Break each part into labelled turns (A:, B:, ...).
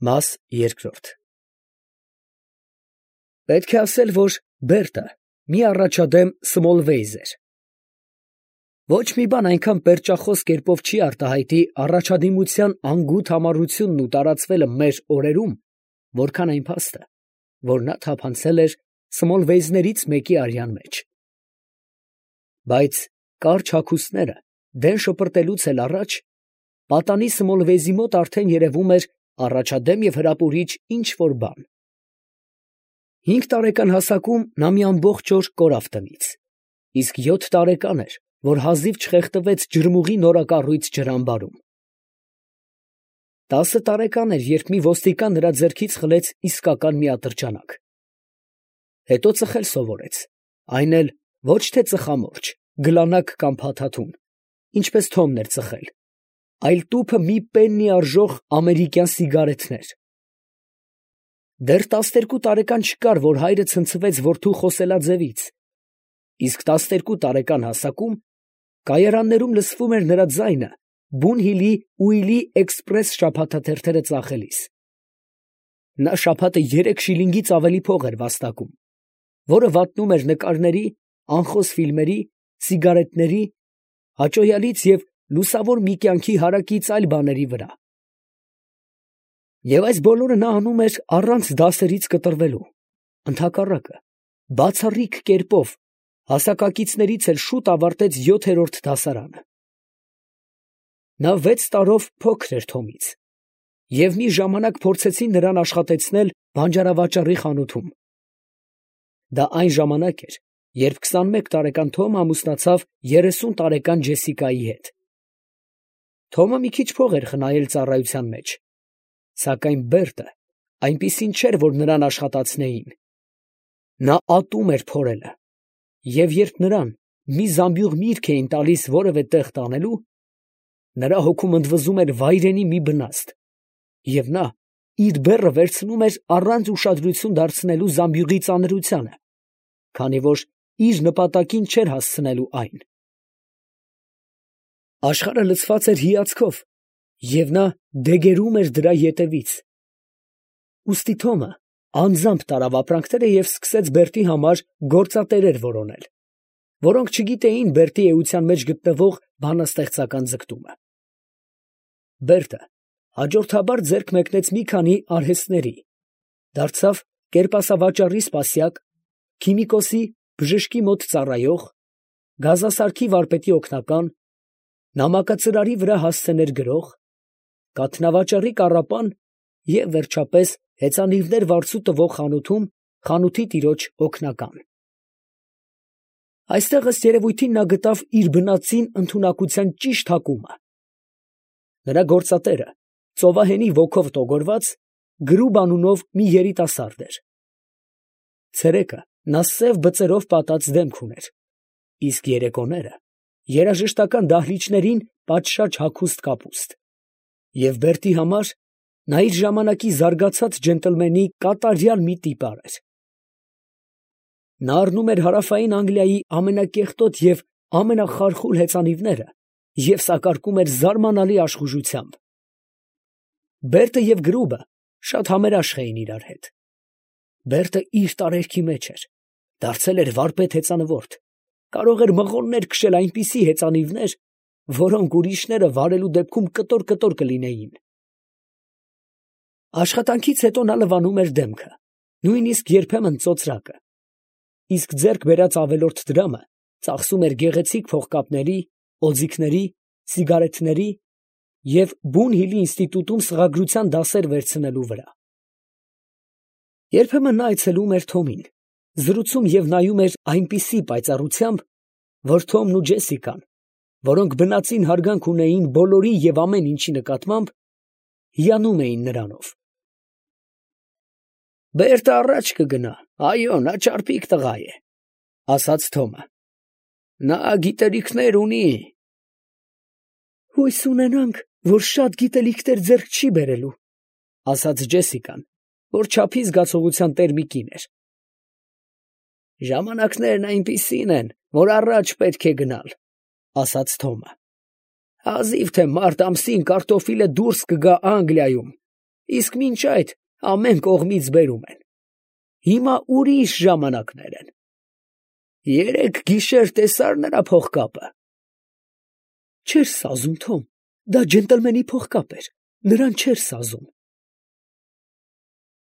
A: Մաս երկրորդ։ Պետք է ասել, որ Բերտը մի առաջադեմ Սմոլվեյզ էր։ Ոչ մի բան այնքան պերճախոս կերպով չի արտահայտի առաջադիմության անգութ համառությունն ու տարածվելը մեր օրերում, որքան այն փաստը, որ նա թափանցել էր Սմոլվեյզներից մեկի արյան մեջ։ Բայց կարճ հագուստները դեն շպրտելուց էլ առաջ պատանի Սմոլվեյզի մոտ արդեն երևում էր առաջադեմ և հրապուրիչ ինչ֊որ բան։ 5 տարեկան հասակում նա մի ամբողջ օր կորավ տնից, իսկ 7 տարեկան էր, որ հազիվ չխեղդվեց ջրմուղի նորակառույց ջրամբարում։ 10 տարեկան էր, երբ մի ոստիկան նրա ձեռքից խլեց իսկական մի ատրճանակ։ Հետո ծխել սովորեց, այն էլ ոչ թե ծխամորճ, գլանակ կամ փաթաթուն, ինչպես Թոմն էր ծխել, այլ տուփը մի պեննի արժող ամերիկյան սիգարետներ։ Դեռ 12 տարեկան չկար, որ հայրը ցնցվեց որդու խոսելաձևից, իսկ 12 տարեկան հասակում կայարաններում լսվում էր նրա ձայնը Բունհիլի Ուիլի էքսպրես շաբաթաթերթերը ծախելիս։ Նա շաբաթը 3 շիլինգից ավելի փող էր վաստակում, որը վատնում էր նկարների, անխոս ֆիլմերի, սիգարետների, հաճոյալից և լուսավոր մի կյանքի հարակից այլ բաների վրա։ Եվ այս բոլորը նա անում էր առանց դասերից կտրվելու, ընդհակառակը, բացառիկ կերպով, հասակակիցներից էլ շուտ ավարտեց 7-րդ դասարանը։ Նա 6 տարով փոքր էր Թոմից, և մի ժամանակ փորձեցին նրան աշխատեցնել բանջարավաճառի խանութում։ Դա այն ժամանակ էր, երբ 21 տարեկան Թոմը ամուսնացավ 30 տարեկան Ջեսիկայի հետ։ Թոմը մի քիչ փող էր խնայել ծառայության մեջ, սակայն Բերտը այնպիսին չէր, որ նրան աշխատացնեին։ Նա ատում էր փորելը, և երբ նրան մի զամբյուղ միրգ էին տալիս որևէ տեղ տանելու, նրա հոգում ընդվզում էր վայրենի մի բնաստ, և նա իր բեռը վերցնում էր առանց ուշադրություն դարձնելու զամբյուղի ծանրությանը, քանի որ իր նպատակին չէր հասցնելու այն։ Աշխարհը լցված էր հիացքով, և նա դեգերում էր դրա ետևից։ Ուստի Թոմը անձամբ տարավ ապրանքները և սկսեց Բերտի համար գործատերեր որոնել, որոնք չգիտեին Բերտի էության մեջ գտնվող բանաստեղծական ձգտումը։ Բերտը հաջորդաբար ձեռք մեկնեց մի քանի արհեստների, դարձավ կերպասավաճառի սպասյակ, քիմիկոսի բժշկի մոտ ծառայող, գազասարքի վարպետի օգնական, նամակածրարի վրա հասցեներ գրող, կաթնավաճառի կառապան և, վերջապես, հեծանիվներ վարձու տվող խանութում խանութի տիրոջ օգնական։ Այստեղ, ըստ երևույթին, նա գտավ իր բնածին ընդունակության ճիշտ հակումը։ Նրա գործատերը, ծովահենի ոգով տոգորված, Գրուբ անունով մի երիտասարդ էր։ Ցերեկը նա սև բծերով պատած դեմք ուներ, իսկ երեկոները երաժշտական դահլիճներին պատշաճ հագուստ կապուստ, և Բերտի համար նա իր ժամանակի զարգացած ջենտլմենի կատարյալ մի տիպար էր։ Նա առնում էր հարավային Անգլիայի ամենակեղտոտ և ամենախարխուլ հեծանիվները և սակարկում էր զարմանալի աշխուժությամբ։ Բերտը և Գրուբը շատ համերաշխ էին իրար հետ։ Բերտը իր տարերքի մեջ էր, դարձել էր վարպետ հեծանվորդ, կարող էր մղոններ քշել այնպիսի հեծանիվներ, որոնք ուրիշները վարելու դեպքում կտոր կլինեին։ Աշխատանքից հետո նա լվանում էր դեմքը, նույնիսկ երբեմն ծոծրակը, իսկ ձեռք բերած ավելորդ դրամը ծախսում էր գեղեցիկ փողկապների, օձիքների, սիգարետների և Բունհիլի ինստիտուտում սղագրության դասեր վերցնելու վրա։ Երբեմն նա այցելում էր Թոմին, զրուցում և նայում էր այնպիսի պայծառությամբ, որ Թոմն ու Ջեսիկան, որոնք բնածին հարգանք ունեին բոլորի և ամեն ինչի նկատմամբ, հիանում էին նրանով։ «Բերտը առաջ կգնա, այո, նա ճարպիկ տղա է, ֊ ասաց Թոմը, ֊ նա գիտելիքներ ունի»։ «Հույս ունենանք, որ շատ գիտելիքներ ձեռք չի բերելու, ֊ ասաց Ջեսիկան, որ չափի զգացողության տեր մի կին էր։ «Ժամանակներն այնպիսին են, որ առաջ պետք է գնալ, ֊ ասաց Թոմը։ Հազիվ թե մարտ ամսին կարտոֆիլը դուրս կգա Անգլիայում, իսկ մինչ այդ ամեն կողմից բերում են։ Հիմա ուրիշ ժամանակներ են։ Երեկ գիշեր տեսար նրա փողկապը։ Չէր սազում, Թոմ, դա ջենտլմենի փողկապ էր, նրան չէր սազում։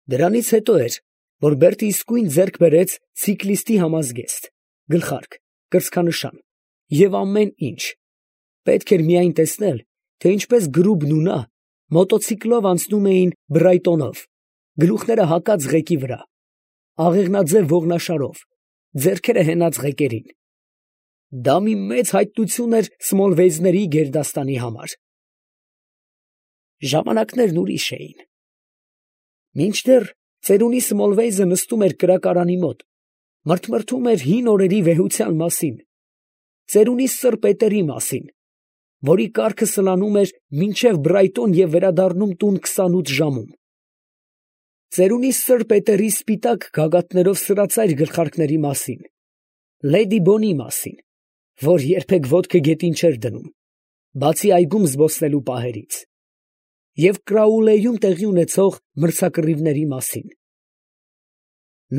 A: Դրանից հետո էր, որ Բերտը իսկույն ձեռք բերեց ցիկլիստի համազգեստ, գլխարկ, կրծքանշան և ամեն ինչ։ Պետք էր միայն տեսնել, թե ինչպես գրուբն ու նա մոտոցիկլով անցնում էին Բրայտոնով, գլուխները հակած ղեկի վրա, աղեղնաձև ողնաշարով, ձեռքերը հենած ղեկերին։ Դա մի մեծ հայտնություն էր Սմոլվեյզների գերդաստանի համար։ Ժամանակներն ուրիշ էին։ Մինչդեռ ծերունի Սմոլվեյզը նստում էր կրակարանի մոտ, մրթմրթում էր հին օրերի վեհության մասին, ծերունի Սըր Պետերի մասին, որի կառքը սլանում էր մինչև Բրայտոն և վերադառնում տուն 28 ժամում, ծերունի Սըր Պետերի սպիտակ գագաթներով սրածայր գլխարկների մասին, լեդի Բոնի մասին, որ երբեք ոտքը գետին չէր դնում, բացի այգում զբոսնելու պահերից, և Կրաուլեյում տեղի ունեցող մրցակռիվների մասին։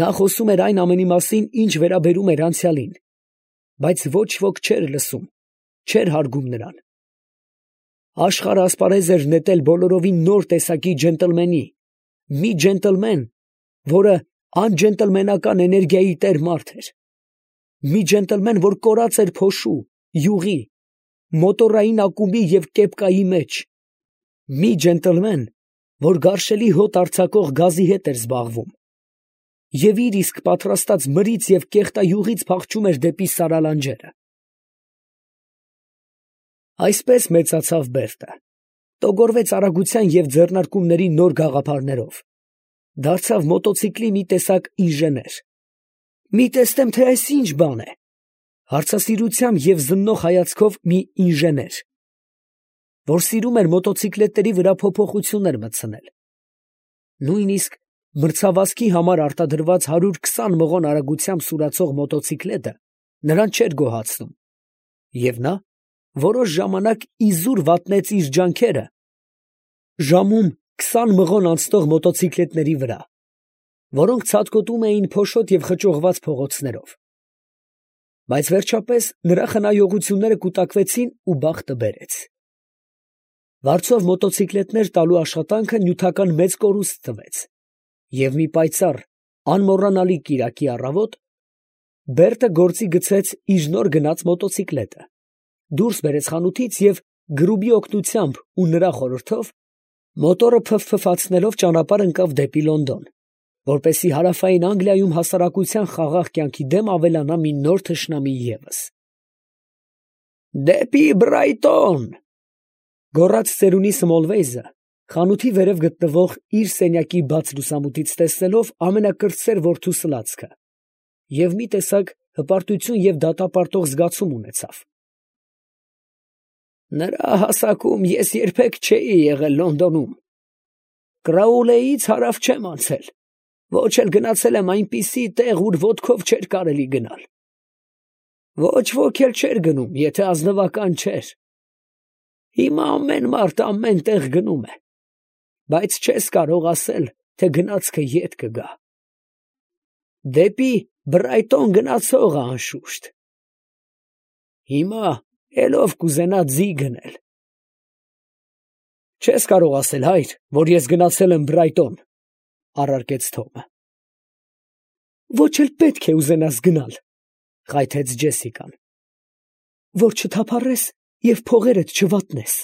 A: Նա խոսում էր այն ամենի մասին, ինչ վերաբերում էր անցյալին, բայց ոչ ոք չէր լսում, չէր հարգում նրան։ Աշխարհը ասպարեզ էր նետել բոլորովին նոր տեսակի ջենտլմենի, մի ջենտլմեն, որը անջենտլմենական էներգիայի տեր մարդ էր, մի ջենտլմեն, որ կորած էր փոշու, յուղի, մոտորային ակումբի և կեպկայի մեջ, մի ջենտլմեն, որ գարշելի հոտ արձակող գազի հետ էր զբաղվում և իր իսկ պատրաստած մրից և կեղտայուղից փախչում էր դեպի Սարալանջերը։ Այսպես մեծացավ Բերտը, տոգորվեց արագության և ձեռնարկումների նոր գաղափարներով, դարձավ մոտոցիկլի մի տեսակ ինժեներ։ Մի տեսնեմ, թե այս ինչ բան է, հարցասիրությամբ և զննող հայացքով մի ինժեներ, որ սիրում էր մոտոցիկլետների վրա փոփոխություններ մտցնել։ Նույնիսկ մրցավազքի համար արտադրված 120 մղոն արագությամբ սուրացող մոտոցիկլետը նրան չէր գոհացնում, և նա որոշ ժամանակ իզուր վատնեց իր ջանքերը ժամում 20 մղոն անցնող մոտոցիկլետների վրա, որոնք ցատկոտում էին փոշոտ և խճողված փողոցներով։ Բայց վերջապես նրա խնայողությունները կուտակվեցին ու բախտը բերեց։ Վարձով մոտոցիկլետներ տալու աշխատանքը նյութական մեծ կորուստ տվեց, և մի պայծառ, անմոռանալի կիրակի առավոտ Բերտը գործի գցեց իր նոր գնած մոտոցիկլետը, դուրս բերեց խանութից և գրուբի օգնությամբ ու նրա խորհրդով մոտորը փվփվացնելով ճանապարհ ընկավ դեպի Լոնդոն, որպեսզի հարավային Անգլիայում հասարակության խաղաղ կյանքի դեմ ավելանա մի նոր թշնամի ևս։ «Դեպի Բրայտոն», գոռաց ծերունի Սմոլվեյզը, խանութի վերև գտնվող իր սենյակի բաց լուսամուտից տեսնելով ամենակրտսեր որդու սլացքը, և մի տեսակ հպարտություն և դատապարտող զգացում ունեցավ։ Նրա հասակում ես երբեք չէի եղել Լոնդոնում, Կրաուլեից հարավ չեմ անցել, ոչ էլ գնացել եմ այնպիսի տեղ, ուր ոտքով չէր կարելի գնալ։ Ոչ ոք էլ չէր գնում, եթե ազնվական չէր։ Հիմա ամեն մարդ ամեն տեղ գնում է, բայց չես կարող ասել, թե գնացքը ետ կգա։ Դեպի Բրայտոն գնացողը անշուշտ։ Հիմա էլով կուզենա ձի գնել։ Չես կարող ասել, հայր, որ ես գնացել եմ Բրայտոն, առարկեց Թոմը։ Ոչ էլ պետք է ուզենաս գնալ, խայթեց Ջեսիկան, որ չթափառես և փողերդ չվատնես։